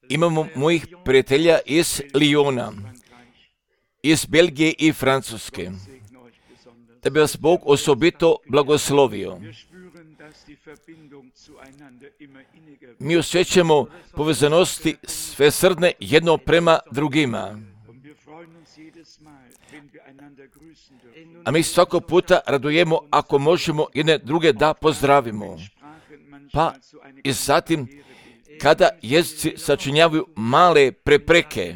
Imamo mojih prijatelja iz Lyona, iz Belgije i Francuske. Da bi vas Bog osobito blagoslovio. Mi osjećamo povezanosti svesrdne jedno prema drugima. A mi svakog puta radujemo ako možemo jedne druge da pozdravimo. Pa i zatim kada jezici sačinjavaju male prepreke.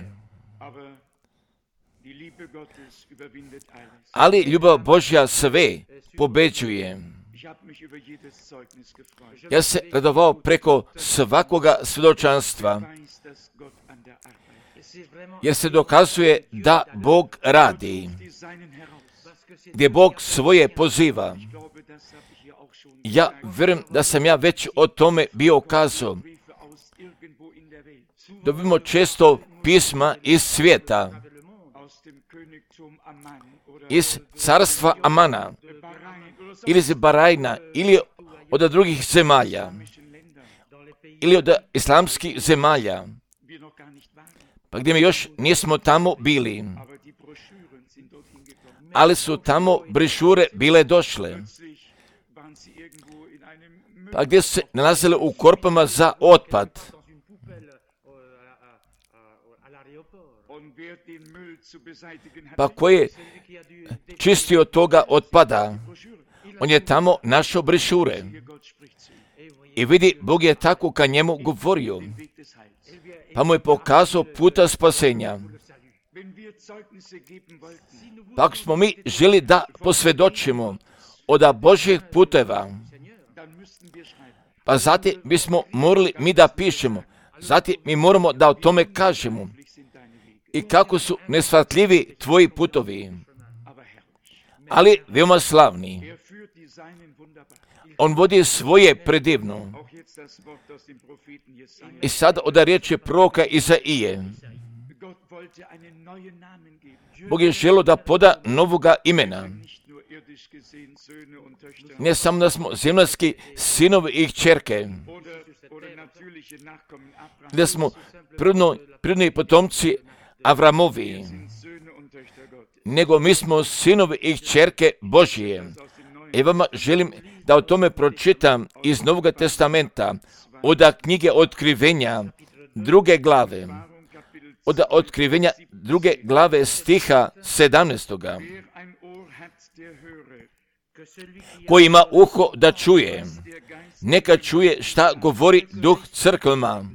Ali ljubav Božja sve pobeđuje. Ja se radovao preko svakoga svjedočanstva, jer se dokazuje da Bog radi, gdje Bog svoje poziva. Ja vjerujem da sam ja već o tome bio kazao. Dobimo često pisma iz svijeta, iz carstva Amana, ili iz Barajna, ili od drugih zemalja, ili od islamskih zemalja, pa gdje mi još nismo tamo bili, ali su tamo brošure bile došle, pa gdje su se nalazile u korpama za otpad. Pa ko je čistio toga otpada, on je tamo našao brošure. I vidi, Bog je tako ka njemu govorio, pa mu je pokazao puta spasenja. Pa ako smo mi želi da posvjedočimo od Božjih puteva, pa zatim bismo morali mi da pišemo, zatim mi moramo da o tome kažemo. I kako su nesvatljivi tvoji putovi, ali veoma slavni. On vodi svoje predivno. I sad od riječi proroka Izaije. Bog je želio da poda novoga imena. Ne samo da smo zemaljski sinovi i kćerke, da smo prirodni potomci Avramovi, nego mi smo sinovi i kćerke Božije. I vama želim da o tome pročitam iz Novog testamenta, od knjige Otkrivenja, 2. glave, od Otkrivenja 2. glave stiha 17. Ko ima uho da čuje, neka čuje šta govori Duh crkvama.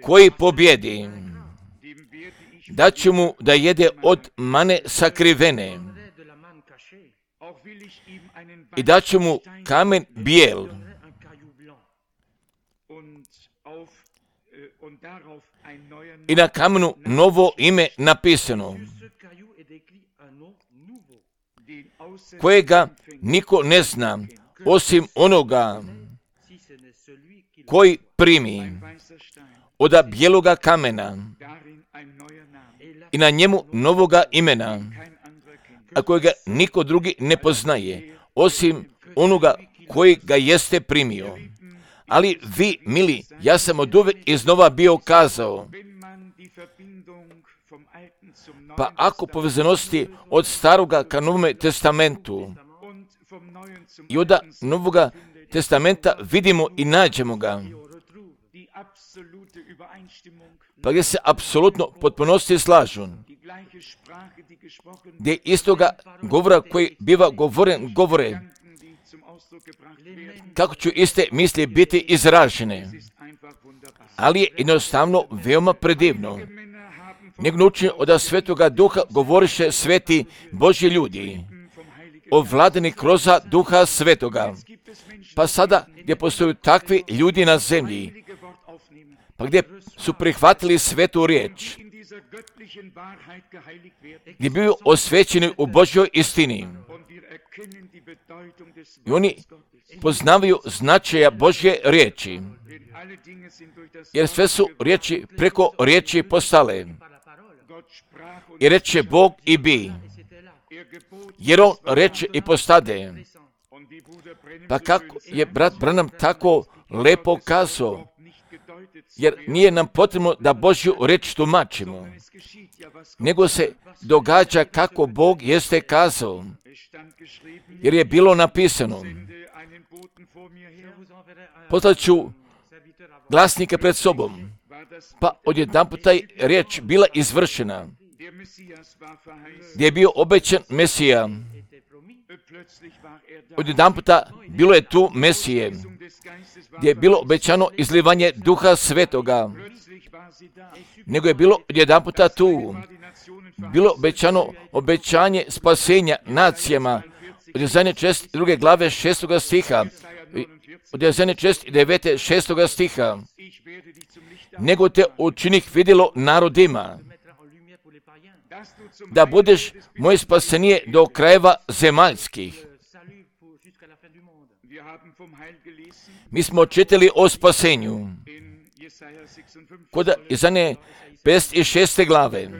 Koji pobjedi, daću mu da jede od mane sakrivene i daću mu kamen bijel i na kamenu novo ime napisano, kojega niko ne zna, osim onoga koji primi od bijeloga kamena i na njemu novoga imena, a kojega niko drugi ne poznaje, osim onoga koji ga jeste primio. Ali vi, mili, ja sam od uvek iznova bio kazao, pa ako povezanosti od staroga ka Novome testamentu i od Novoga testamenta vidimo i nađemo ga, pa gdje se apsolutno potpunosti slažu, gdje istoga govora koji biva govore, kako će iste misli biti izražene, ali je jednostavno veoma predivno. Nego naučen od Svetoga Duha govoriše sveti Božji ljudi, ovladani kroz Duha Svetoga. Pa sada gdje postoju takvi ljudi na zemlji, pa gdje su prihvatili svetu riječ, gdje biju osvećeni u Božjoj istini. I oni poznavaju značaja Božje riječi, jer sve su riječi preko riječi postale. I reče Bog i bi, jer on reče i postade. Pa kako je brat Branham tako lepo kazao, jer nije nam potrebno da Božju reč tumačimo, nego se događa kako Bog jeste kazao, jer je bilo napisano. Poslat ću glasnika pred sobom, pa odjedanput taj riječ bila izvršena, gdje je bio obećan Mesija. Odjedanputa bilo je tu Mesije, gdje je bilo obećano izlivanje Duha Svetoga, nego je bilo odjedanputa tu. Bilo obećanje spasenja nacijama, od Jesaja 2. glave 6. stiha, od Jesaja 9. 6. stiha, nego te učinih vidjelo narodima, da budeš moje spasenije do krajeva zemaljskih. Mi smo čitali o spasenju kod Jesaja 56. glave.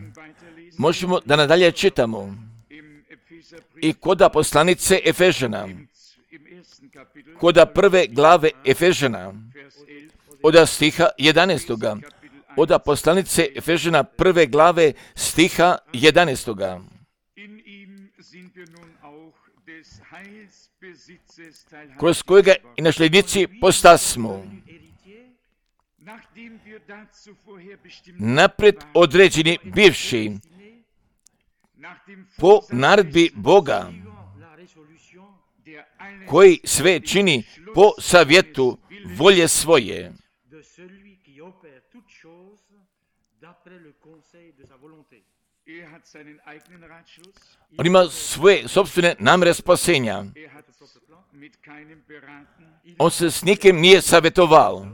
Možemo da nadalje čitamo i kod poslanice Efežana, kod prve glave Efežana, od stiha 11. Od poslanice Efežana prve glave stiha 11. Kroz kojega i nasljednici postasmo, napred određeni bivši, po naredbi Boga, koji sve čini po savjetu volje svoje. On ima svoje sobstvene namjere spasenja. On se s nikim nije savjetovao.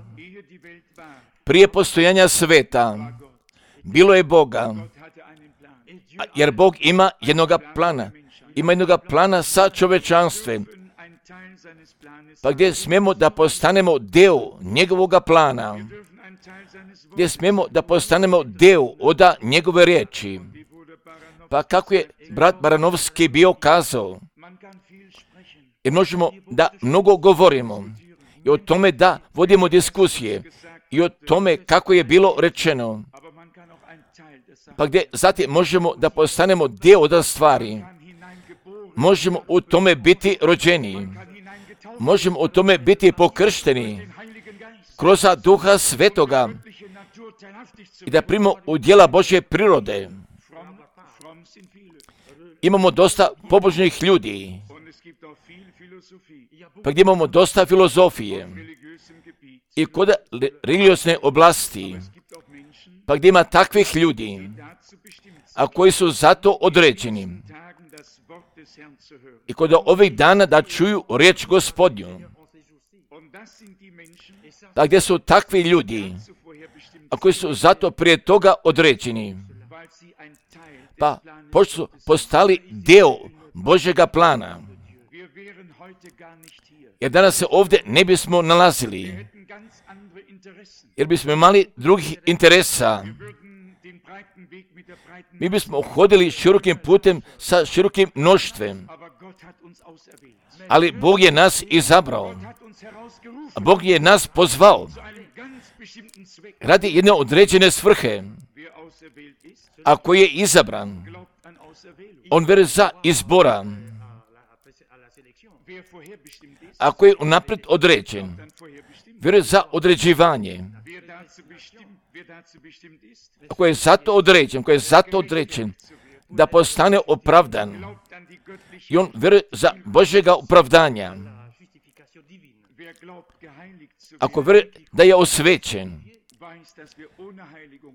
Prije postojanja sveta bilo je Boga, jer Bog ima jednoga plana. Ima jednoga plana sa čovečanstvom. Pa gdje smijemo da postanemo deo njegovoga plana, gdje smijemo da postanemo deo od njegove riječi. Pa kako je brat Baranovski bio kazao, jer možemo da mnogo govorimo i o tome da vodimo diskusije i o tome kako je bilo rečeno, pa gdje zatim možemo da postanemo dio od stvari. Možemo u tome biti rođeni, možemo u tome biti pokršteni kroz Duha Svetoga i da primimo u djela Božje prirode. Imamo dosta pobožnih ljudi, pa gdje imamo dosta filozofije i kod religiozne oblasti, pa gdje ima takvih ljudi, a koji su zato određeni i kod ovih dana da čuju riječ Gospodnju. Pa gdje su takvi ljudi, a koji su zato prije toga određeni, pa pošto su postali dio Božjega plana. Jer danas se ovdje ne bismo nalazili, jer bismo imali drugih interesa. Mi bismo hodili širokim putem sa širokim mnoštvem. Ali Bog je nas izabrao. Bog je nas pozvao radi jedne određene svrhe. Ako je izabran, on vjeruje za izbora. Ako je unaprijed određen, vjeruje za određivanje. Ako je zato određen, da postane opravdan, i on vjeruje za Božjega opravdanja. Ako vjeruje da je osvećen,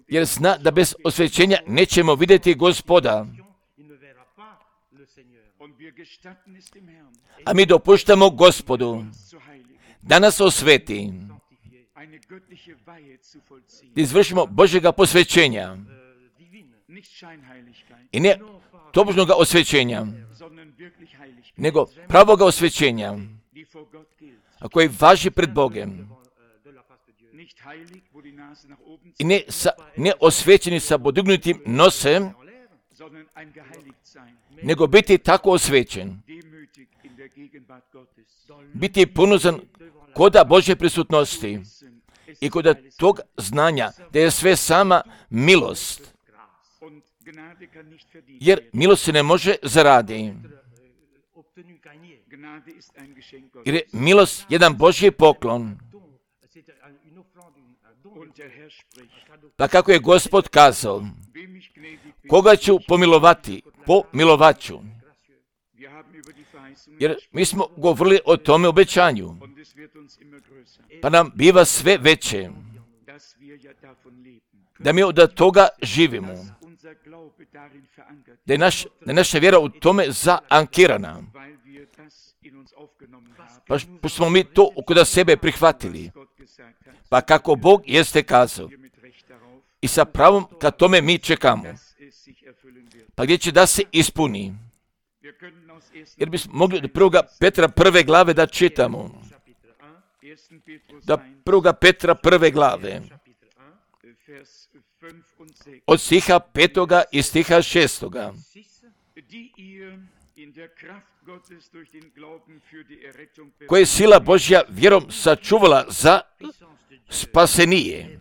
jer zna da bez osvećenja nećemo vidjeti Gospoda. A mi dopuštamo Gospodu da nas osveti, da izvršimo Božjega posvećenja i ne tobožnoga osvećenja, nego pravoga osvećenja, a koji važi pred Bogem. I ne osvećeni sa podignutim nosem, nego biti tako osvećen, biti ponuzan koda Božje prisutnosti i koda tog znanja da je sve sama milost. Jer milost se ne može zaraditi. Jer je milost jedan Božji poklon. Pa kako je Gospod kazao, koga ću pomilovati, pomilovat ću. Jer mi smo govorili o tome obećanju, pa nam biva sve veće, da mi od toga živimo, da je naša vjera u tome zaankirana, pa smo mi to kod sebe prihvatili, pa kako Bog jeste kazao, i sa pravom kad tome mi čekamo, pa gdje će da se ispuni. Jer bismo mogli od 1. Petra 1. glave da čitamo. Da 1. Petra 1. glave. Od stiha 5. i stiha 6. Koje je sila Božja vjerom sačuvala za spasenije.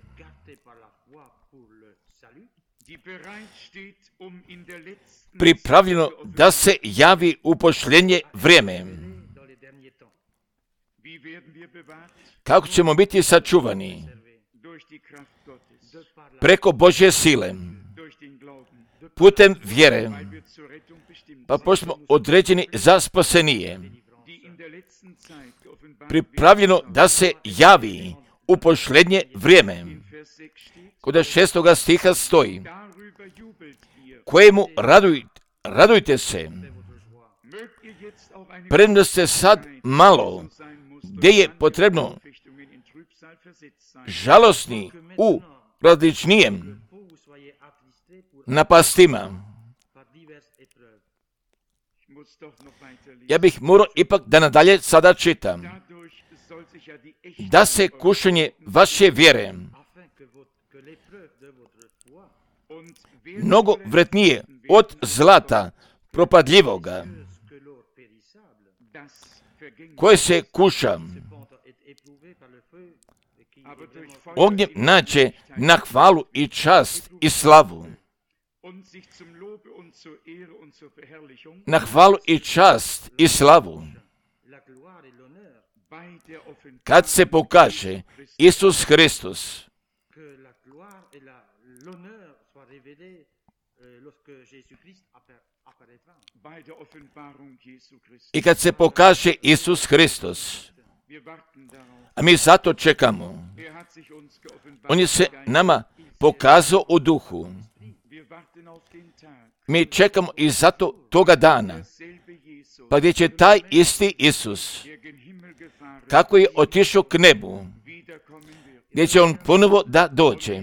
Pripravljeno da se javi u posljednje vrijeme. Kako ćemo biti sačuvani? Preko Božje sile, putem vjere, pa pošto smo određeni za spasenije. Pripravljeno da se javi u posljednje vrijeme. Kod 6. stiha stoji, kojemu radujte se, premda ste sad malo, gdje je potrebno žalosni u različnijem napastima. Ja bih morao ipak da nadalje sada čitam. Da se kušanje vaše vjere mnogo vrednije od zlata propadljivoga, koje se kuša, ognjem nađe na hvalu i čast i slavu. Na hvalu i čast i slavu. Kad se pokaže Isus Hristos. I kad se pokaže Isus Hristos. A mi zato čekamo. On je se nama pokazao u duhu. Mi čekamo i zato toga dana. Pa gdje će taj isti Isus, kako je otišao k nebu, gdje će on ponovo da dođe.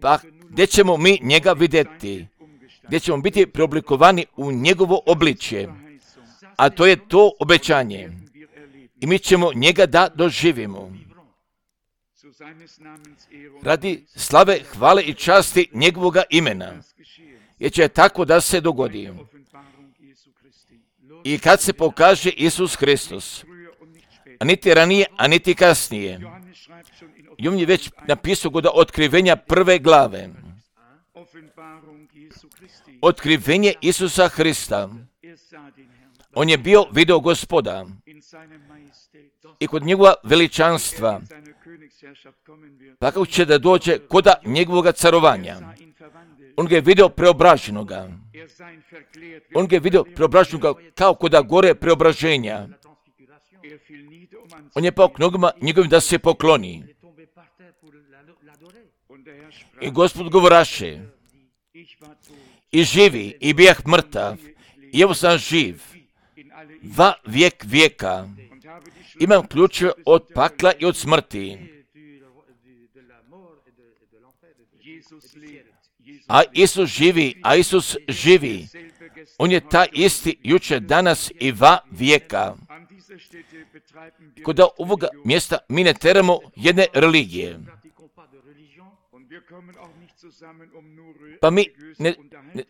Pa gdje ćemo mi njega vidjeti, gdje ćemo biti preoblikovani u njegovo obličje. A to je to obećanje. I mi ćemo njega da doživimo. Radi slave, hvale i časti njegovoga imena. Jer će tako da se dogodi. I kad se pokaže Isus Hristos, a niti ranije, a niti kasnije. Jovan je već napisao kod otkrivenja 1. glave. Otkrivenje Isusa Hrista. On je bio video Gospoda. I kod njegova veličanstva. Pa kako će da dođe koda njegovoga carovanja. On ga je vidio preobraženoga. On ga je vidio preobraženoga kao koda gore preobraženja. On je pao k nogama njegovim da se pokloni. I Gospod govoraše, i živi, i bijah mrtav, i evo sam živ, va vijek vijeka. Imam ključe od pakla i od smrti. A Isus živi, a Isus živi. On je taj isti jučer, danas i va vijeka. Kod ovoga mjesta mi ne teramo jedne religije. Pa mi ne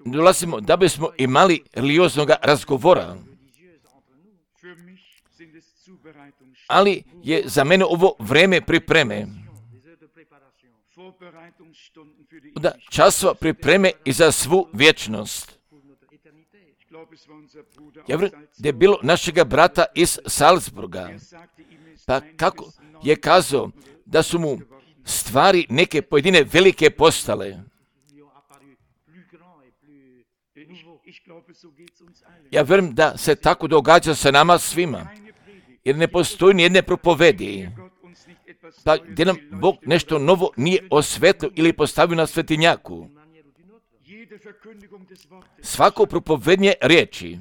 dolazimo da bismo imali religioznog razgovora. ali je za mene ovo vreme pripreme. Da časova pripreme i za svu vječnost. Ja vjerujem da je bilo našega brata iz Salzburga, pa kako je kazao da su mu stvari neke pojedine velike postale. Ja vjerujem da se tako događa sa nama svima, jer ne postoji ni jedne propovedi, pa gdje nam Bog nešto novo nije osvetlio ili postavio na svetinjaku. Svako propovednje riječi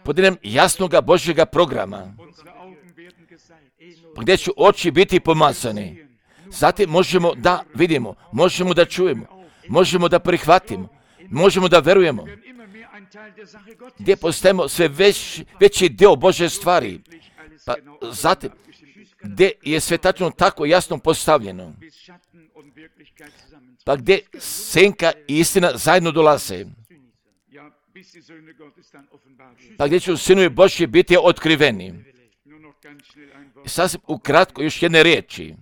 podjeljem jasnoga Božjega programa, gdje će oči biti pomazane. Zatim možemo da vidimo, možemo da čujemo, možemo da prihvatimo, možemo da verujemo, gdje postajemo sve veći dio Božje stvari. Pa zatim, gdje je sve tačno tako jasno postavljeno, pa gdje senka i istina zajedno dolaze, pa gdje će sinovi Božji biti otkriveni. Sasvim ukratko još jedne riječi.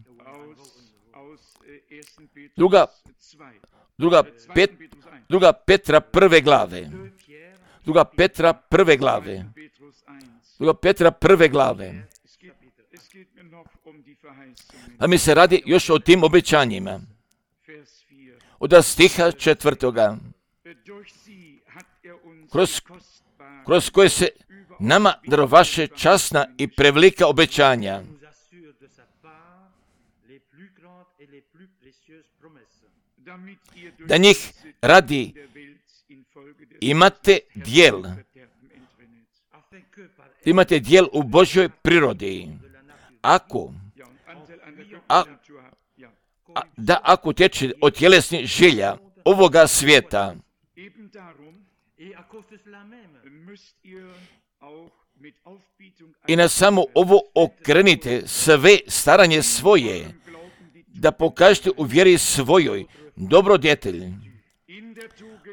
Druga Petra prve glave. Druga Petra prve glave. A mi se radi još o tim obećanjima. Od stiha 4. Kroz koje se nama darovaše časna i prevelika obećanja, da njih radi imate dijel u Božjoj prirodi. Ako teče od tjelesnih želja ovoga svijeta, i na samo ovo okrenite sve staranje svoje, da pokažete u vjeri svojoj dobrodjetelj,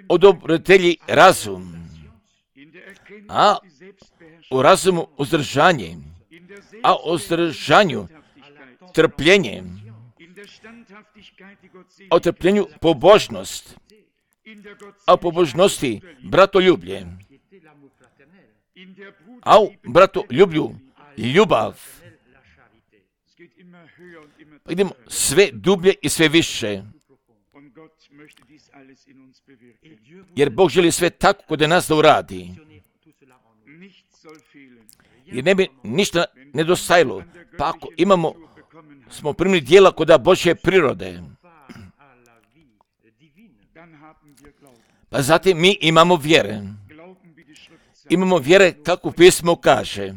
odobrotelji razum, a u razumu uzdržanje, a u uzdržanju trpljenje, a u trpljenju pobožnost, a u pobožnosti bratoljublje, a u bratoljublju ljubav. Idemo sve dublje i sve više, jer Bog želi sve tako kod nas da uradi. Jer ne bi ništa nedostajalo, pa ako smo primili dijela kod Božje prirode, pa zatim mi imamo vjere. Imamo vjere kako pismo kaže.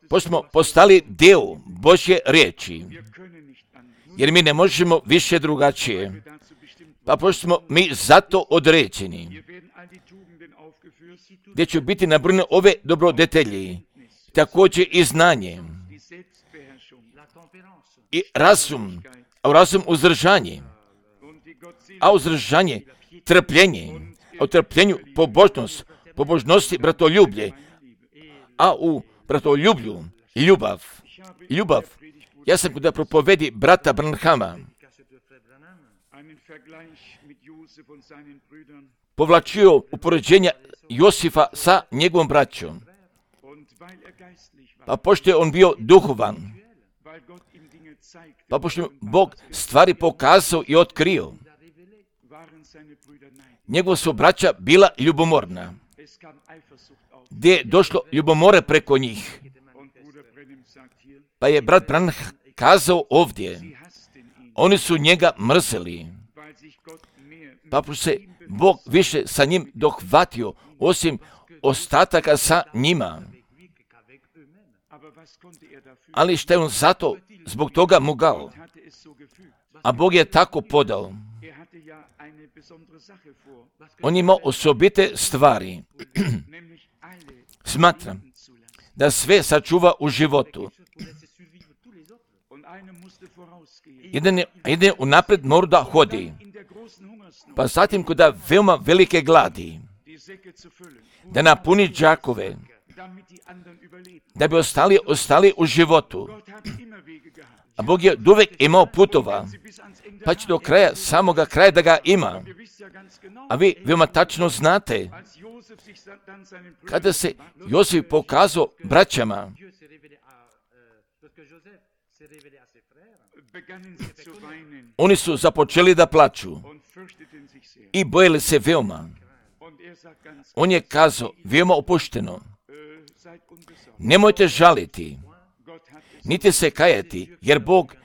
Pošto smo postali dio Božje riječi, jer mi ne možemo više drugačije, pa pošto smo mi zato određeni, gdje će biti nabrojene ove dobrodetelji, također i znanje, i razum, a u razum uzdržanje, a uzdržanje trpljenje, a u trpljenju pobožnost, pobožnosti bratoljublje, a u bratoljublju ljubav. Ja sam kod propovedi brata Branhama povlačio upoređenja Josifa sa njegovom braćom. Pa pošto je on bio duhovan, pa pošto je Bog stvari pokazao i otkrio, njegova su braća bila ljubomorna, gdje je došlo ljubomore preko njih. Pa je brat Branham kazao ovdje, oni su njega mrzeli, pa se Bog više sa njim dohvatio, osim ostataka sa njima. Ali šta je on zato zbog toga mogao? A Bog je tako podao. On ima osobite stvari. Smatram da sve sačuva u životu. Jedan je unaprijed mora da hodi. Pa zatim kod veoma velike gladi, da napuni džakove, da bi ostali u životu. A Bog je uvijek imao putova, pa će do kraja, samoga kraja da ga ima. A vi veoma tačno znate, kada se Josip pokazao braćama, oni su započeli da plaču i bojili se veoma. On je kazao veoma opušteno, nemojte žaliti, niti se kajati, jer Bog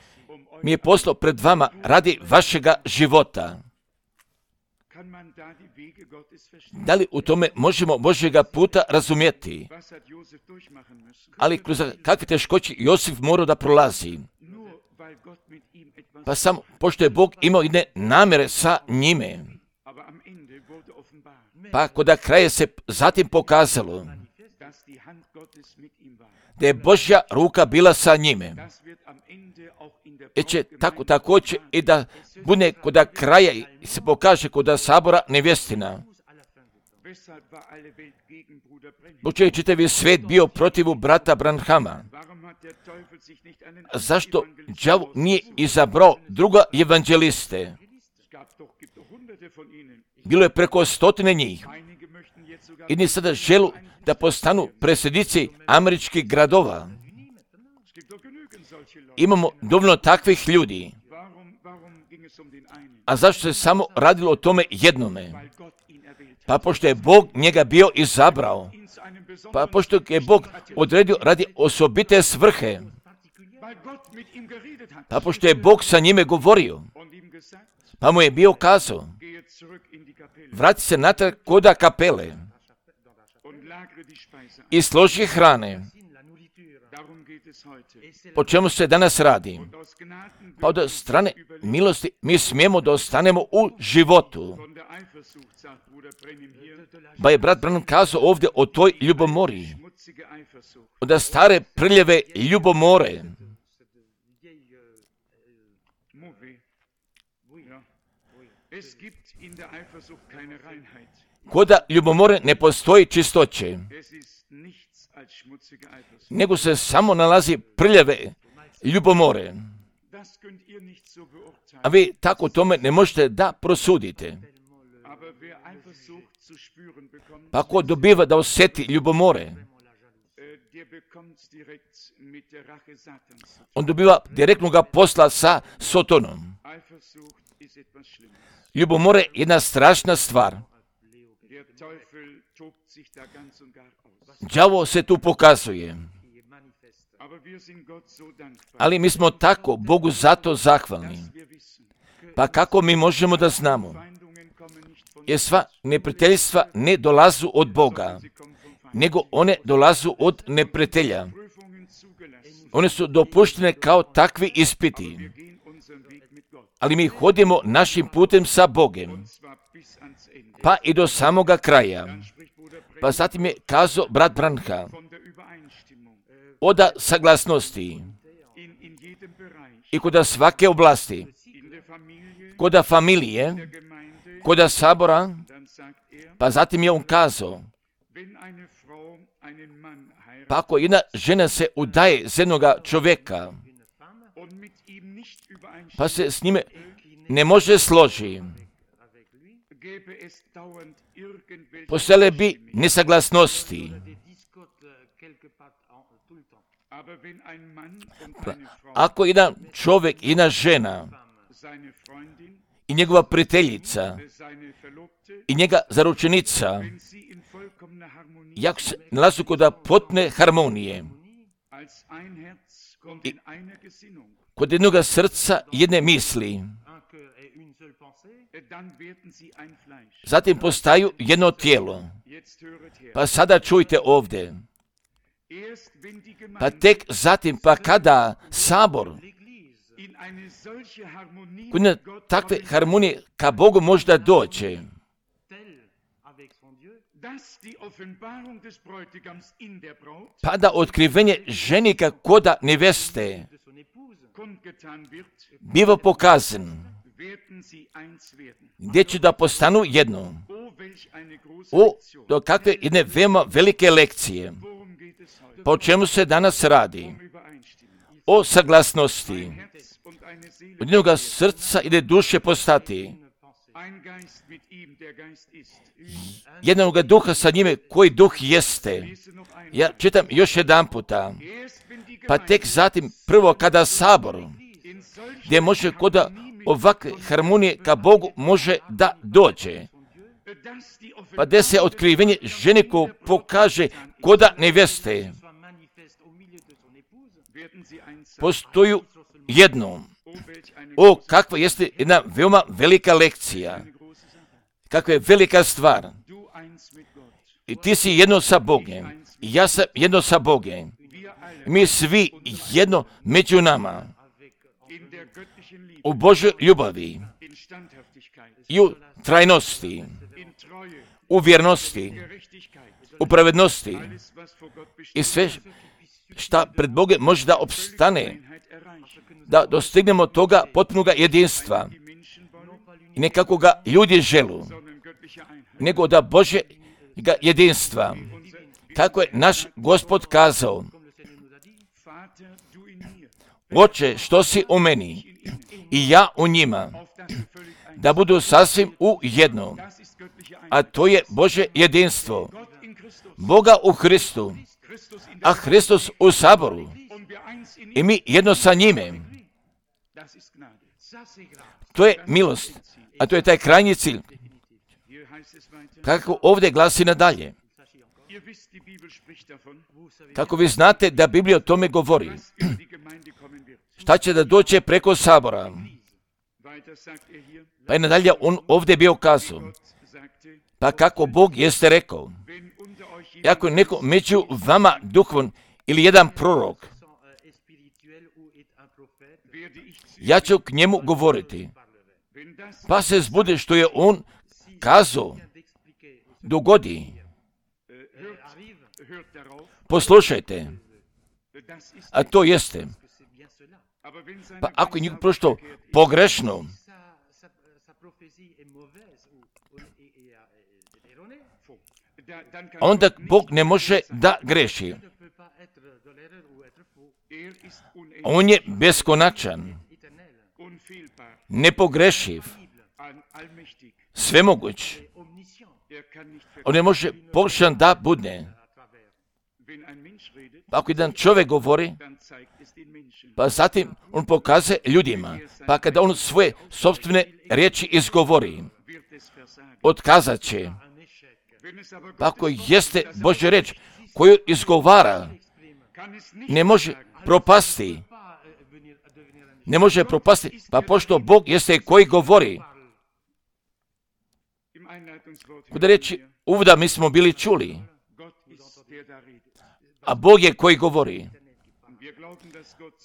mi je poslao pred vama radi vašega života. Da li u tome možemo Božjega puta razumjeti? Ali kroz kakve teškoće Josif morao da prolazi? Pa samo pošto je Bog imao jedne namjere sa njime. Pa kod kraja se zatim pokazalo da je Božja ruka bila sa njime. I će također i da bude kod kraja se pokaže kod sabora nevjestina. Zbog čega je čitavi svijet bio protiv brata Branhama? Zašto đavo nije izabrao druga evanđeliste? Bilo je preko 100 njih. I ni sada želu da postanu predsjednici američkih gradova. Imamo dovoljno takvih ljudi. A zašto se samo radilo o tome jednome? Pa pošto je Bog njega bio izabrao. Pa pošto je Bog odredio radi osobite svrhe. Pa pošto je Bog sa njime govorio. Pa mu je bio kazao, vrati se natrag koda kapele i složi hrane. O čemu se danas radi? Pa od strane milosti mi smijemo da ostanemo u životu. Pa je brat Branham kazao ovdje o toj ljubomori. Od stare prljave ljubomore. Koda ljubomore ne postoji čistoće, nego se samo nalazi prljave ljubomore. A vi tako tome ne možete da prosudite. Pa ko dobiva da osjeti ljubomore, on dobiva direktnog posla sa Sotonom. Ljubomore je jedna strašna stvar. Đavo se tu pokazuje. Ali mi smo tako Bogu zato zahvalni. Pa kako mi možemo da znamo? Jer sva neprijateljstva ne dolazu od Boga, nego one dolazu od neprijatelja. One su dopuštene kao takvi ispiti. Ali mi hodimo našim putem sa Bogem, pa i do samoga kraja. Pa zatim je kazao brat Branham od saglasnosti i kod svake oblasti, kod familije, kod sabora, pa zatim je on kazao, pa ako jedna žena se udaje za jednoga čovjeka, pa se s njime ne može složiti, postojale bi nesaglasnosti. Ako jedan čovjek i jedna žena i njegova prijateljica i njega zaručenica, jak se nalazu kod potpune harmonije, i kod jednog srca jedne misli, zatim postaju jedno tijelo. Pa sada čujte ovdje. Pa tek zatim, pa kada sabor kod takve harmonije ka Bogu možda dođe, pa da otkrivenje ženika koda neveste biva pokazan, gdje će da postanu jedno. do kakve jedne veoma velike lekcije. Po čemu se danas radi? O saglasnosti. Od jednoga srca i duše postati. Jednoga duha sa njime koji duh jeste. Ja čitam još jedan puta. Pa tek zatim prvo kada sabor, gdje može koda ovakve harmonije ka Bogu može da dođe. Pa gdje se otkrivenje žene ko pokaže koda neveste. Postoji jedno. O, kakva jeste jedna veoma velika lekcija. Kakva je velika stvar. I ti si jedno sa Bogom. I ja sam jedno sa Bogom. Mi svi jedno među nama. U Božoj ljubavi. I u trajnosti. U vjernosti. U pravednosti. I sve šta pred Bogom može da opstane. Da dostignemo toga potpunog jedinstva. I nekako ga ljudi želu. Nego da Bože jedinstva. Kako je naš Gospod kazao. Oče, što si u meni i ja u njima, da budu sasvim u jedno. A to je Bože jedinstvo. Boga u Hristu, a Hristos u saboru. I mi jedno sa njime. To je milost, a to je taj krajnji cilj. Kako ovdje glasi nadalje. Kako vi znate da Biblija o tome govori. Šta će da dođe preko sabora? Pa je nadalje on ovdje bio kazao. Pa kako Bog jeste rekao. Ako je neko među vama duhovan ili jedan prorok, ja ću k njemu govoriti. Pa se zbude što je on kazao, dogodi. Poslušajte. A to jeste. Pa ako je njih prošto pogrešno, onda Bog ne može da greši. On je beskonačan, nepogrešiv, svemoguć. On ne može pogrešan da bude. Pa ako jedan čovjek govori, pa zatim on pokaže ljudima, pa kada on svoje sopstvene riječi izgovori, otkazat će. Pa ako jeste Božja riječ koju izgovara, ne može propasti. Ne može propasti, pa pošto Bog jeste koji govori. Kuda reći, uvoda mi smo bili čuli, a Bog je koji govori.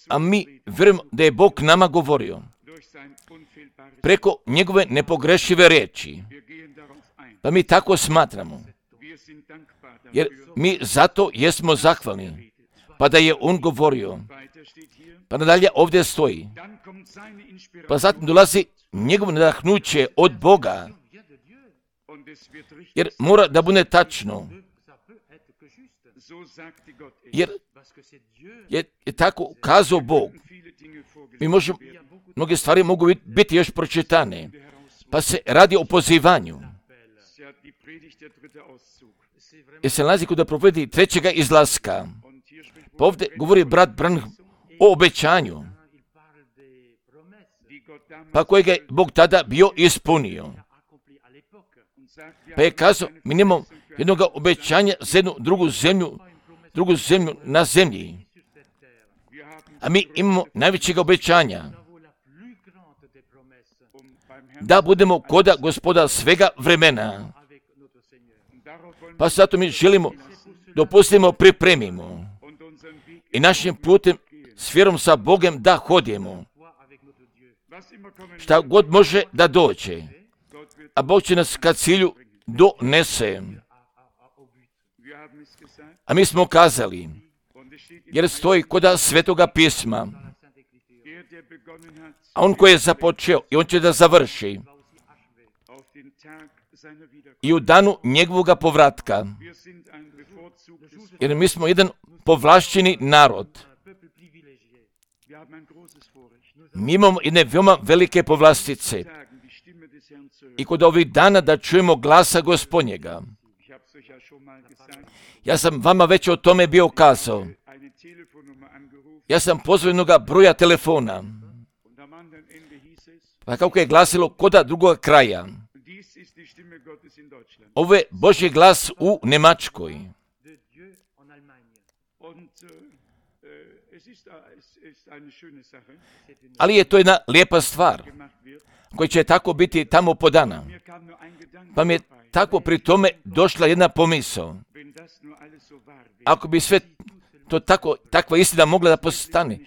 A mi vjerujemo da je Bog nama govorio preko njegove nepogrešive riječi. Pa mi tako smatramo. Jer mi zato jesmo zahvalni. Pa da je on govorio. Pa nadalje ovdje stoji. Pa zatim dolazi njegovo nadahnuće od Boga. Jer mora da bude tačno. Jer je tako kazao Bog. Mi možemo, mnoge stvari mogu biti još pročitane. Pa se radi o pozivanju. Jer se nalazi kod da provedi trećega izlaska. Pa ovdje govori brat Branham o obećanju. Pa kojega je Bog tada bio ispunio. Pa je kazao, mi nemamo jednog obećanja za jednu drugu zemlju na zemlji. A mi imamo najvećega obećanja. Da budemo koda Gospoda svega vremena. Pa zato mi želimo, dopustimo, pripremimo. I našim putem s vjerom sa Bogom da hodimo. Šta god može da dođe. A Bog će nas ka cilju donese. A mi smo kazali, jer stoji koda Svetoga pisma. A on koji je započeo i on će da završi. i u danu njegovoga povratka. Jer mi smo jedan povlašćeni narod. Mi imamo jedne veoma velike povlastice. I kod ovih dana da čujemo glasa Gospodnjega. Ja sam vama već o tome bio kazao. Ja sam pozvao jednoga broja telefona. Pa kako je glasilo koda drugoga kraja. Ovo je Božji glas u Njemačkoj. Ali je to jedna lijepa stvar koja će tako biti tamo podana. Pa mi je tako pri tome došla jedna pomisao. Ako bi sve to takva istina mogla da postane,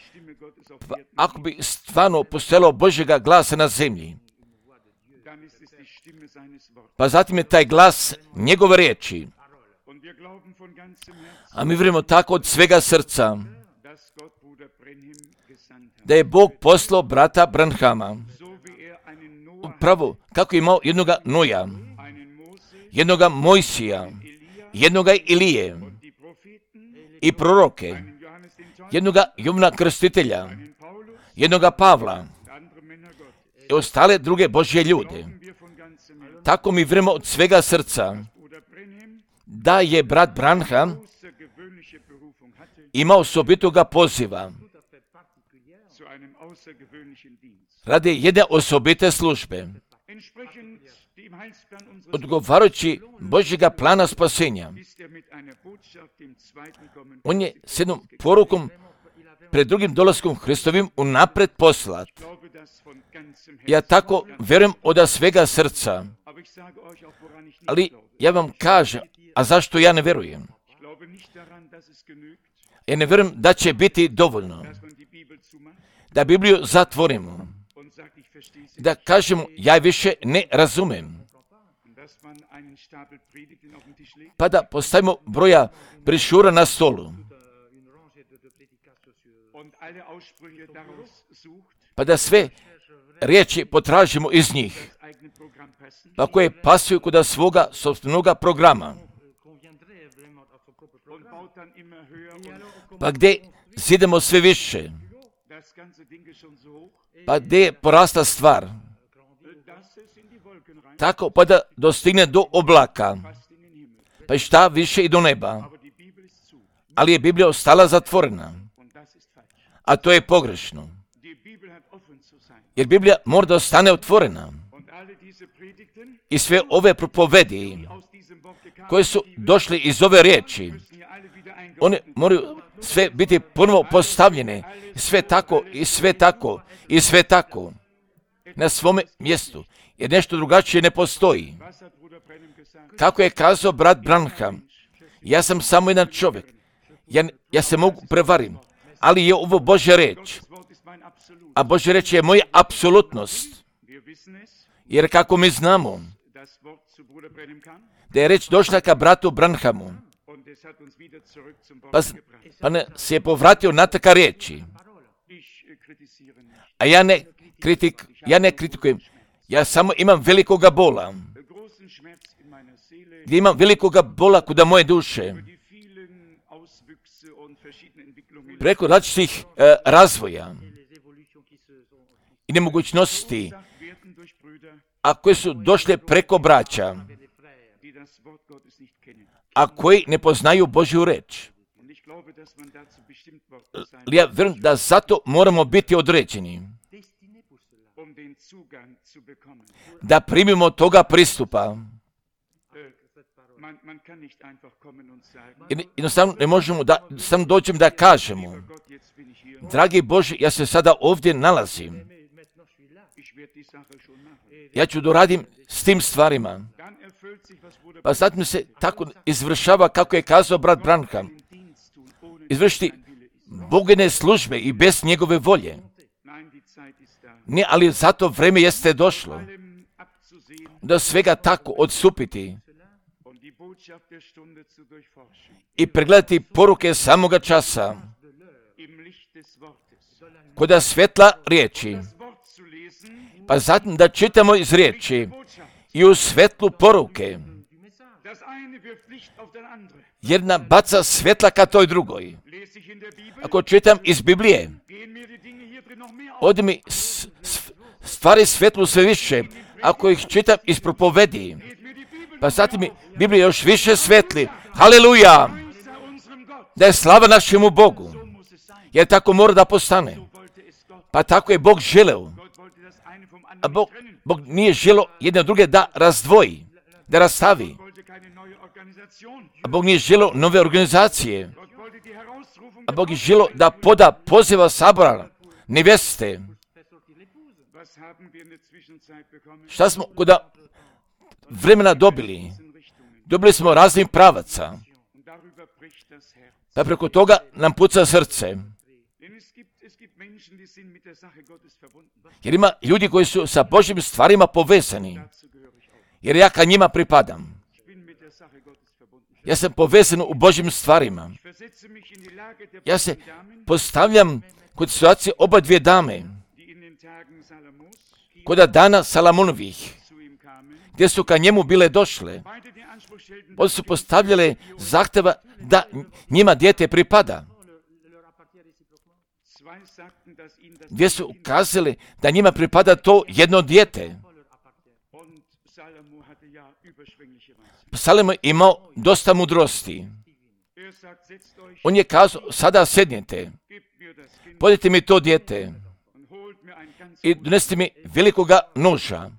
pa ako bi stvarno postojalo Božjega glasa na zemlji, pa zatim je taj glas njegove riječi. A mi vjerujemo tako od svega srca da je Bog poslao brata Branhama. Upravo kako je imao jednoga Noja, jednoga Mojsija, jednoga Ilije i proroke, jednoga Jovana Krstitelja, jednoga Pavla i ostale druge Božje ljude. Tako mi vjerujemo od svega srca da je brat Branham imao osobitoga poziva radi jedne osobite službe. Odgovarajući Božjega plana spasenja, on je s jednom porukom pred drugim dolaskom Hristovim unapred poslat. Ja tako vjerujem od svega srca, ali ja vam kažem, a zašto ja ne vjerujem? Ja ne vjerujem da će biti dovoljno da Bibliju zatvorimo, da kažemo ja više ne razumem, pa da postavimo broja brišura na stolu, pa da sve riječi potražimo iz njih, pa koje pasuju kod svoga sopstvenoga programa, pa gdje zidemo sve više, pa gdje je porasta stvar, tako pa da dostigne do oblaka, pa i šta više i do neba. Ali je Biblija ostala zatvorena, a to je pogrešno. Jer Biblija mora da ostane otvorena. I sve ove propovedi koje su došli iz ove riječi, one moraju sve biti ponovo postavljene, sve tako i sve tako i sve tako na svome mjestu, jer nešto drugačije ne postoji. Kako je kazao brat Branham, ja sam samo jedan čovjek, ja se mogu prevarim, ali je ovo Božja reč, a Božja reč je moja apsolutnost, jer kako mi znamo da je reč došla ka bratu Branhamu, pa se je povratio na taka riječi. A ja ne kritikujem, ja samo imam velikoga bola. Gdje imam velikoga bola kuda moje duše. Preko različitih razvoja i nemogućnosti, a koje su došle preko braća, a koji ne poznaju Božju reč. Ja vjerujem da zato moramo biti određeni, da primimo toga pristupa. Jednostavno ne možemo da samo dođem da kažemo, dragi Bože, ja se sada ovdje nalazim, ja ću doradim s tim stvarima. Pa zatim se tako izvršava kako je kazao brat Branham, izvršiti Bogine službe i bez njegove volje. Ne, ali zato vreme jeste došlo da svega tako odstupiti i pregledati poruke samoga časa kod svjetla riječi, pa zatim da čitamo iz riječi i u svetlu poruke. Jedna baca svetla ka toj drugoj. Ako čitam iz Biblije, ovdje mi stvari svetlu sve više. Ako ih čitam iz propovedi, pa zatim mi Biblija još više svetli. Haleluja! Da je slava našemu Bogu. Jer tako mora da postane. Pa tako je Bog želeo. A Bog nije želeo jedne druge da razdvoji, da rastavi. A Bog nije želeo nove organizacije. A Bog je želeo da poda poziva sabora, neveste. Šta smo kod vremena dobili? Dobili smo raznih pravaca. Pa preko toga nam puca srce. Jer ima ljudi koji su sa Božjim stvarima povezani. Jer ja ka njima pripadam. Ja sam povezan u Božjim stvarima. Ja se postavljam kod situacije oba dvije dame. Kod dana Salamonovih, gdje su ka njemu bile došle. Oni su postavljale zahtjeva da njima dijete pripada. Gdje su ukazali da njima pripada to jedno dijete. Salomo je imao dosta mudrosti. On je kazao, sada sednite, podite mi to dijete i donesite mi velikoga noža.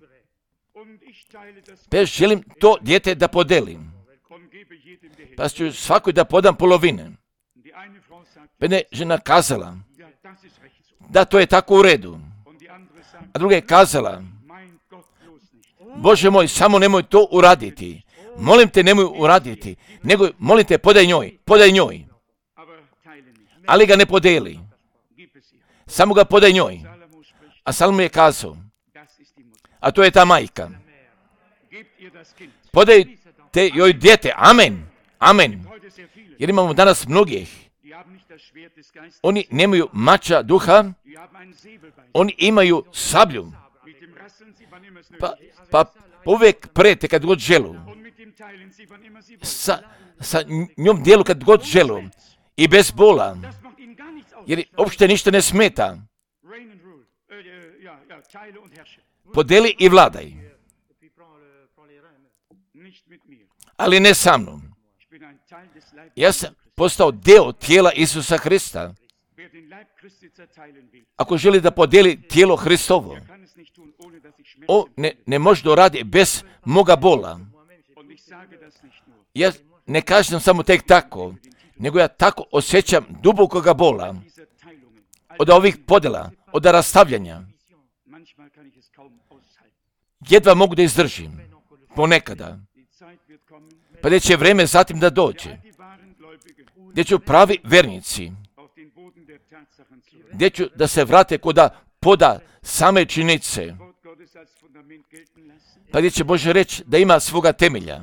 Pa ja želim to dijete da podelim. Pa ću svakoj da podam polovine. Pa je žena kazala, da to je tako u redu. A druga je kazala, Bože moj, samo nemoj to uraditi. Molim te, nemoj uraditi. Nego, molim te, podaj njoj. Ali ga ne podeli. Samo ga podaj njoj. A Salomo je kazao, a to je ta majka. Podajte joj dijete. Amen. Amen. Jer imamo danas mnogih. Oni nemaju mača duha, oni imaju sablju. Pa uvijek prete kad god želu. Sa njom dijelu kad god želu. I bez bola. Jer uopšte ništa ne smeta. Podeli i vladaj. Ali ne sa mnom. Ja sam postao deo tijela Isusa Hrista. Ako želi da podeli tijelo Hristovo, on ne može da radi bez moga bola. Ja ne kažem samo tek tako, nego ja tako osjećam dubokoga bola od ovih podela, od rastavljanja. Jedva mogu da izdržim, ponekada. Pa gdje će vreme zatim da dođe, gdje ću pravi vernici, gdje ću da se vrate koda poda same činjenice, pa gdje će Bože reći da ima svoga temelja,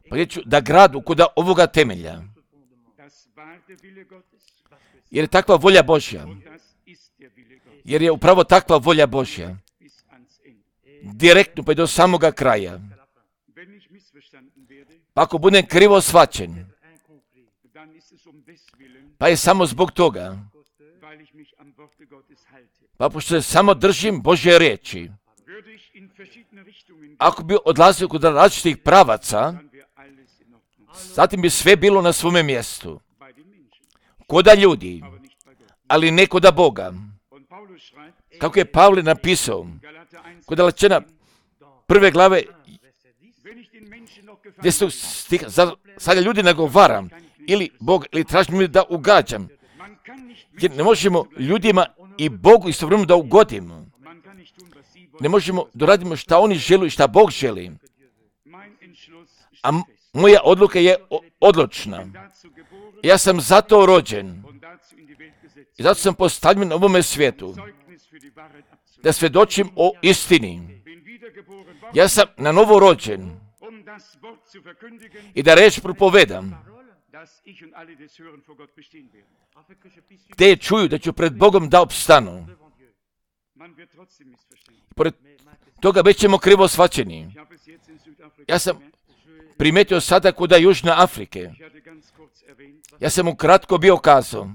pa gdje ću da gradu koda ovoga temelja, jer je takva volja Božja, jer je upravo takva volja Božja, direktno pa i do samoga kraja. Pa ako budem krivo shvaćen, pa je samo zbog toga, pa pošto se samo držim Božje riječi, ako bi odlazio kod različitih pravaca, zatim bi sve bilo na svome mjestu. Koda ljudi, ali ne koda Boga. Kako je Pavle napisao, kod Galačana 1. glave, gdje su stiha, sada ljudi nagovaram, ili Bog, ili tražim mi da ugađam. Jer ne možemo ljudima i Bogu istovremeno da ugodimo. Ne možemo da radimo šta oni žele i šta Bog želi. A moja odluka je odlučna. Ja sam zato rođen. I zato sam postavljen na ovome svijetu. Da svjedočim o istini. Ja sam na novo rođen. I da reč propovedam. Te čuju da ću pred Bogom da opstanu. Pored toga već ćemo krivo shvaćeni. Ja sam primetio sada kod Južne Afrike. Ja sam mu kratko bio kazao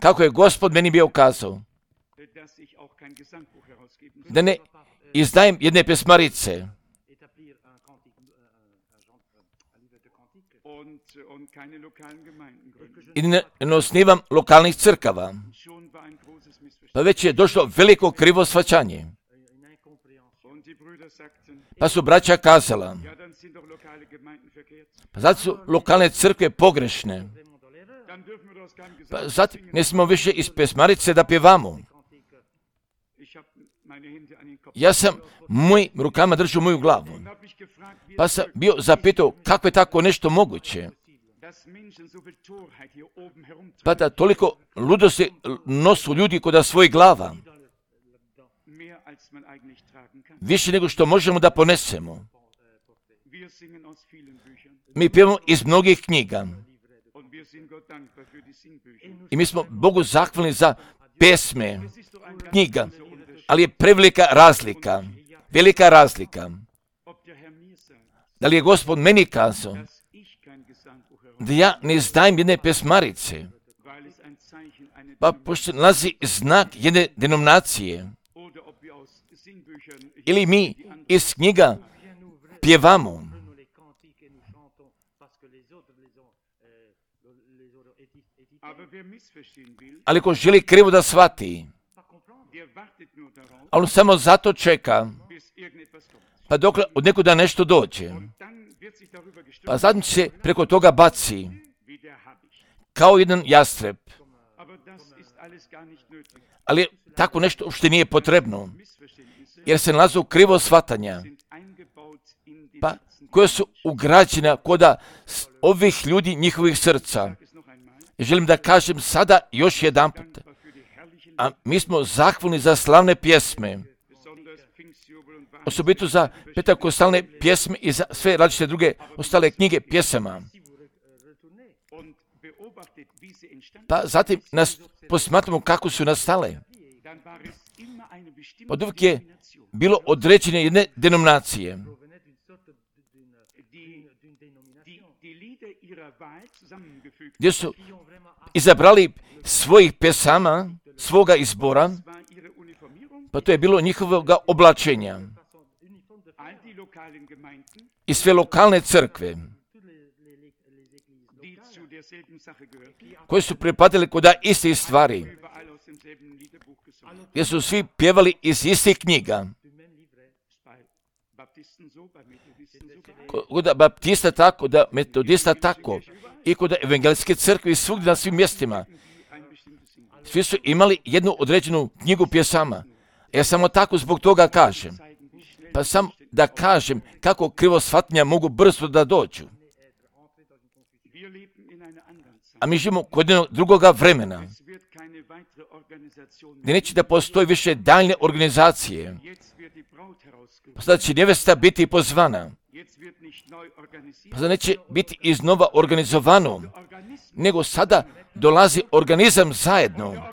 kako je Gospod meni bio kazao da ne izdajem jedne pesmarice i ne osnivam lokalnih crkava. Pa već je došlo veliko krivo shvaćanje. Pa su braća kazala, pa zato su lokalne crkve pogrešne. Pa zatim ne smemo više iz pesmarice da pjevamo. Ja sam mojim rukama držao moju glavu. Pa sam bio zapitao kako je tako nešto moguće. Pa da toliko ludosti nosu ljudi kod svojih glava. Više nego što možemo da ponesemo. Mi pjevamo iz mnogih knjiga. I mi smo Bogu zahvalni za pesme, knjiga. Ali je prevelika razlika. Velika razlika. Da li je Gospod meni kazao da ja ne izdajem jedne pesmarice, pa pošto nalazi znak jedne denominacije, ili mi iz knjiga pjevamo, ali ko želi krivo da shvati, ali on samo zato čeka, pa dok od nekuda nešto dođe, pa zatim se preko toga baci, kao jedan jastreb. Ali tako nešto uopšte nije potrebno, jer se nalazi u krivo shvatanja, pa koje su ugrađena koda ovih ljudi, njihovih srca. Želim da kažem sada još jedan put, a mi smo zahvalni za slavne pjesme, osobito za pentakostalne pjesme i za sve različite druge ostale knjige pjesama. Pa zatim nas posmatramo kako su nastale. Od uvijek je bilo određene jedne denominacije. Gdje su izabrali svojih pesama, svoga izbora, pa to je bilo njihovog oblačenja. I sve lokalne crkve, koje su pripadali kod istih stvari, gdje su svi pjevali iz istih knjiga. Kod baptista tako, da metodista tako, i kod evangelijske crkve i svugdje na svim mjestima. Svi su imali jednu određenu knjigu pjesama. Ja samo tako zbog toga kažem. Pa sam da kažem kako krivo shvatanja mogu brzo da dođu. A mi živimo kod jednog drugoga vremena, gdje neće da postoji više daljne organizacije. Pa sada će nevesta biti pozvana. Pa sada neće biti iznova organizovano, nego sada dolazi organizam zajedno.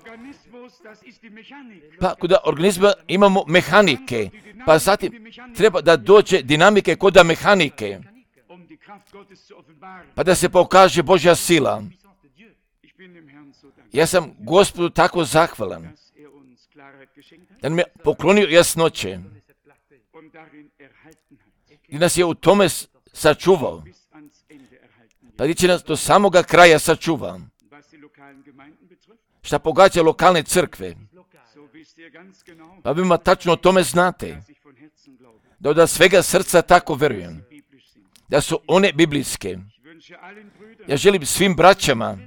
Pa kod organizma imamo mehanike, pa zatim treba da dođe dinamike kod mehanike, pa da se pokaže Božja sila. Ja sam Gospodu tako zahvalan, da nam je poklonio jasnoće i nas je u tome sačuvao, pa gdje će nas do samoga kraja sačuva. Šta pogađa lokalne crkve, pa vi tačno o tome znate, da od svega srca tako verujem, da su one biblijske. Ja želim svim braćama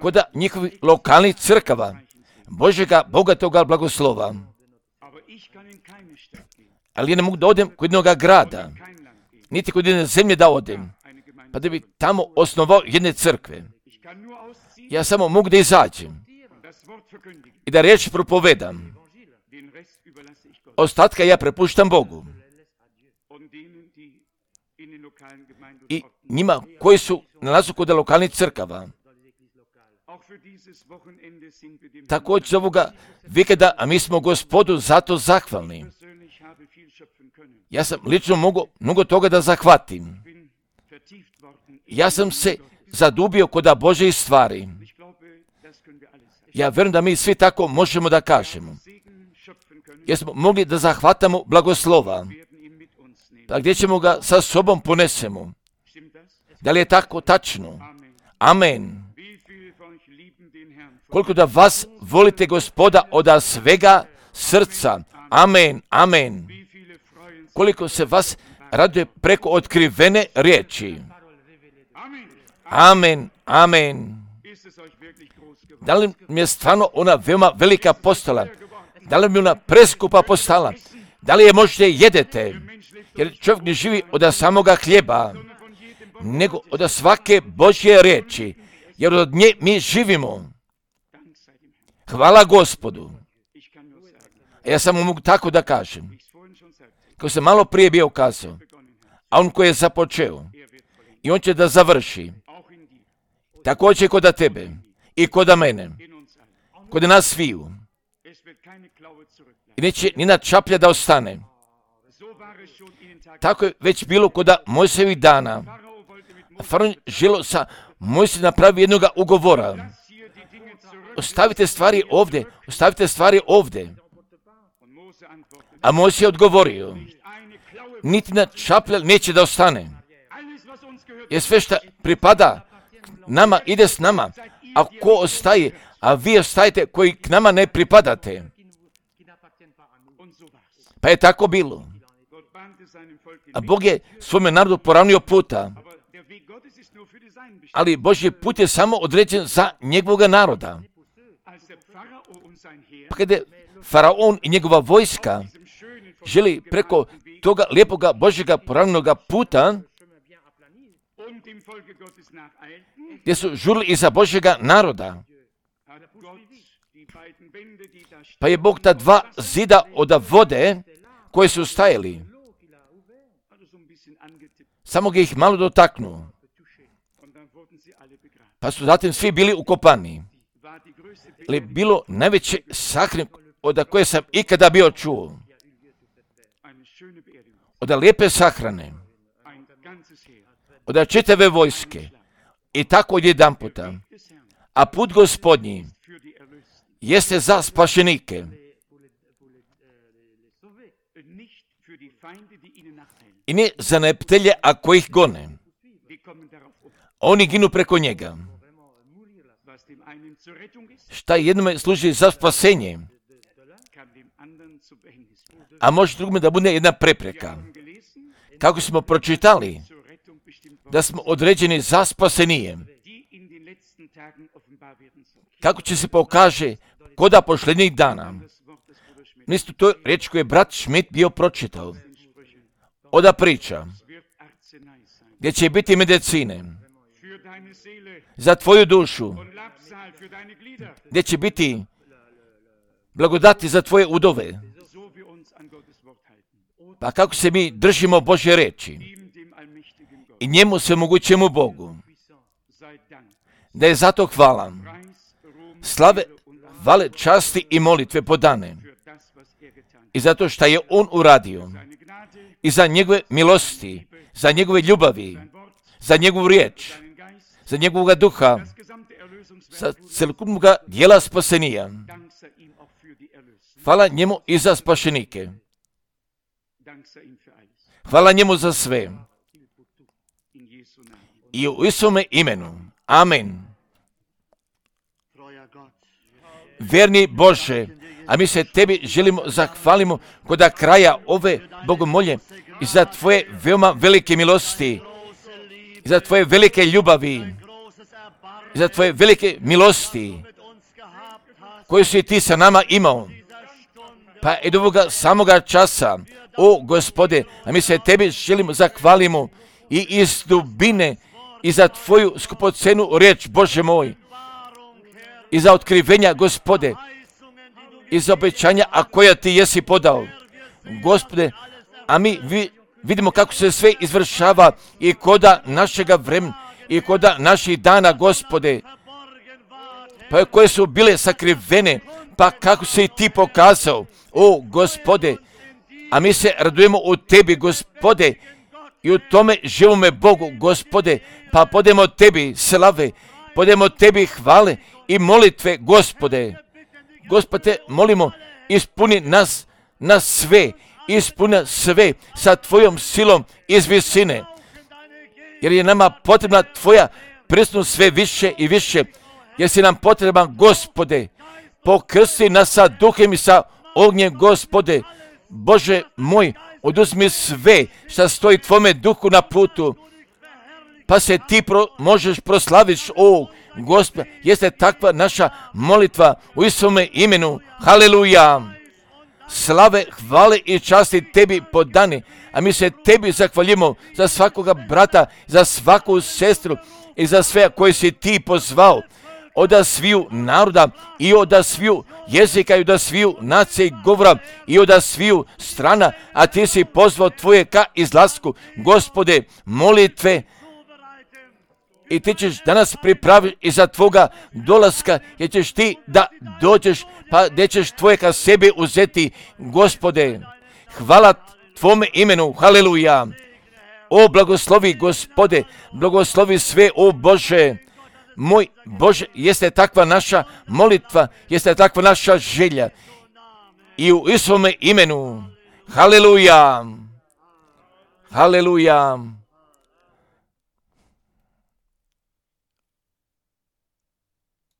kod njihovih lokalnih crkava Božega bogatoga blagoslova. Ali ja ne mogu da odem kod jednog grada, niti kod jedne zemlje da odem, pa da bi tamo osnovao jedne crkve. Ja samo mogu da izađem i da riječ propovedam. Ostatka ja prepuštam Bogu. I njima koji su nalazu kod lokalnih crkava, Također ovoga vikenda, a mi smo Gospodu zato zahvalni. Ja sam lično mogu mnogo toga da zahvatim. Ja sam se zadubio kod Božjih stvari. Ja vjerujem da mi svi tako možemo da kažemo. Jer smo mogli da zahvatamo blagoslova. Pa gdje ćemo ga sa sobom ponesemo? Da li je tako tačno? Amen. Koliko da vas volite Gospoda od svega srca. Amen, amen. Koliko se vas raduje preko otkrivene riječi. Amen, amen. Da li mi je stvarno ona veoma velika postala? Da li mi ona preskupa postala? Da li je možete jedete? Jer čovjek ne živi od samoga hljeba, nego od svake Božje riječi. Jer od nje mi živimo. Hvala Gospodu. Ja samo mogu tako da kažem. Kao sam malo prije bio kazao, a on koji je započeo, i on će da završi. Također kod tebe i kod mene, kod nas sviju. I neće ni na čaplja da ostane. Tako je već bilo kod Mojsijevih dana. Faraon želio sa Mojsijem napravi jednoga ugovora. Ostavite stvari ovdje, ostavite stvari ovdje. A Mojsije je odgovorio, niti na čaplja neće da ostane. Jer sve što pripada nama ide s nama. A ko ostaje, a vi ostajete koji k nama ne pripadate. Pa je tako bilo. A Bog je svome narodu poravnio puta. Ali Božji put je samo određen za njegovog naroda. Pa kada je Faraon i njegova vojska želi preko toga lijepoga Božjega poravnjenoga puta, gdje su žurili iza Božjega naroda, pa je Bog ta dva zida od vode koje su stajali, samo ga ih malo dotaknuo. Pa su zatim svi bili ukopani. Ali bilo najveće sahrane od koje sam ikada bio čuo. Od lijepe sahrane. Od čitave vojske. I tako jedan puta. A put Gospodnji jeste za spašenike. I ne za neptelje, a koji ih gone. Oni ginu preko njega. Šta jednome služi za spasenje, a može drugome da bude jedna prepreka. Kako smo pročitali, da smo određeni za spasenije. Kako će se pokaže koda posljednjih dana. Nisto to riječ koju je brat Schmidt bio pročitao. Oda priča, gdje će biti medicine za tvoju dušu, gdje će biti blagodati za tvoje udove. Pa kako se mi držimo Božje reči i njemu svemogućemu Bogu, da je zato hvala, slave, hvale, časti i molitve podane i zato što je on uradio i za njegove milosti, za njegove ljubavi, za njegovu riječ, za njegovog duha, za celokupnog dijela spasenija. Hvala njemu i za spašenike. Hvala njemu za sve. I u Isome imenu. Amen. Vjerni Bože, a mi se tebi želimo zahvalimo kod kraja ove bogomolje i za tvoje veoma velike milosti, i za tvoje velike ljubavi, i za tvoje velike milosti koje si ti sa nama imao. Pa i do ovoga samoga časa, o Gospode, a mi se tebi želimo zahvalimo i iz dubine i za tvoju skupocenu riječ, Bože moj, i za otkrivenja, Gospode, i za obećanja, a koja ti jesi podao. Gospode, a mi vidimo kako se sve izvršava i koda našega vremena i koda naših dana, Gospode. pa koje su bile sakrivene, pa kako si ti pokazao, o Gospode, a mi se radujemo u tebi, Gospode, i u tome živome Bogu, Gospode, pa podemo tebi slave, podemo tebi hvale i molitve, Gospode. Gospode, molimo, ispuni nas na sve, ispuni sve sa tvojom silom iz visine, jer je nama potrebna tvoja prisutnost sve više i više, jer si nam potreban, Gospode. Pokrsti nas sa duhem i sa ognjem, Gospode. Bože moj, oduzmi sve što stoji tvome duhu na putu, pa se ti možeš proslaviti, o Gospode. Jeste takva naša molitva u Isuse imenu. Haleluja. Slave, hvale i časti tebi podani, a mi se tebi zahvaljujemo za svakoga brata, za svaku sestru i za sve koje si ti pozvao, od sviju naroda i od sviju jezika i od sviju nacije i govora i od sviju strana, a ti si pozvao tvoje ka izlasku, Gospode, molitve, i ti ćeš danas pripraviti i za tvoga dolaska, jer ćeš ti da dođeš, pa gdje ćeš tvoje ka sebi uzeti, Gospode. Hvala tvome imenu, haleluja. O, blagoslovi, Gospode, blagoslovi sve, o Bože. Moj Bože, jeste takva naša molitva, jeste takva naša želja. I u Isuse imenu, haleluja, haleluja.